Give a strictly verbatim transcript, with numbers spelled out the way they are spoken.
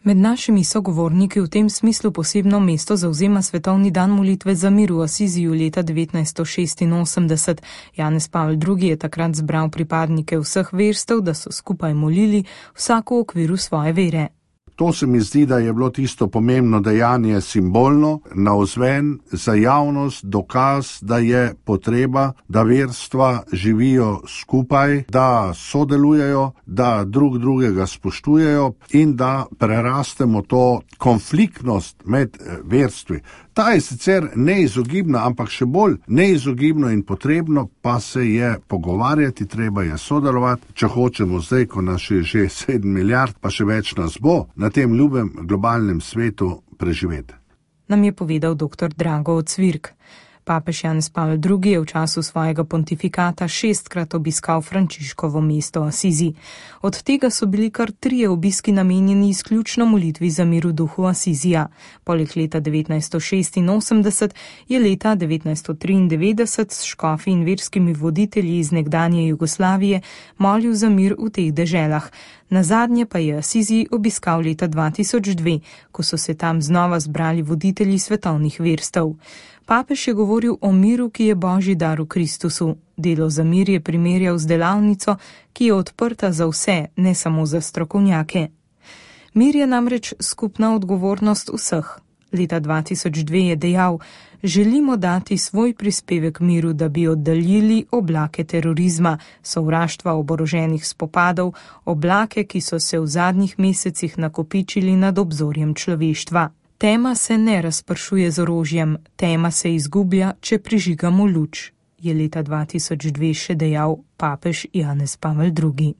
Med našimi sogovorniki v tem smislu posebno mesto zavzema Svetovni dan molitve za mir v Asiziju leta devetnajststo šestinosemdeset. Janez Pavel drugi. Je takrat zbral pripadnike vseh verstev, da so skupaj molili, vsako v okviru svoje vere. To se mi zdi, da je bilo tisto pomembno dejanje simbolno, navzven, za javnost, dokaz, da je potreba, da verstva živijo skupaj, da sodelujejo, da drug drugega spoštujejo in da prerastemo to konfliktnost med verstvi. Ta je sicer neizogibna, ampak še bolj neizogibno in potrebno pa se je pogovarjati, treba je sodelovati, če hočemo zdaj, ko nas je že sedem milijard, pa še več nas bo, na tem ljubem globalnem svetu preživeti. Nam je povedal doktor Drago Cvirk. Papež Janez Pavel drugi. Je v času svojega pontifikata šestkrat obiskal Frančiškovo mesto Asizi. Od tega so bili kar trije obiski namenjeni izključno molitvi za mir v duhu Asizija. Poleg leta devetnajststo šestinosemdeset je leta devetnajststo triindevetdeset s škofi in verskimi voditelji iz nekdanje Jugoslavije molil za mir v teh deželah. Nazadnje pa je Asizi obiskal leta dva tisoč dve, ko so se tam znova zbrali voditelji svetovnih verstev. Papež je govoril o miru, ki je božji dar v Kristusu. Delo za mir je primerjal z delavnico, ki je odprta za vse, ne samo za strokovnjake. Mir je namreč skupna odgovornost vseh. Leta dva tisoč dve je dejal: želimo dati svoj prispevek miru, da bi oddaljili oblake terorizma, sovraštva, oboroženih spopadov, oblake, ki so se v zadnjih mesecih nakopičili nad obzorjem človeštva. Tema se ne razpršuje z orožjem, tema se izgublja, če prižigamo luč, je leta dva tisoč dve še dejal papež Janez Pavel drugi.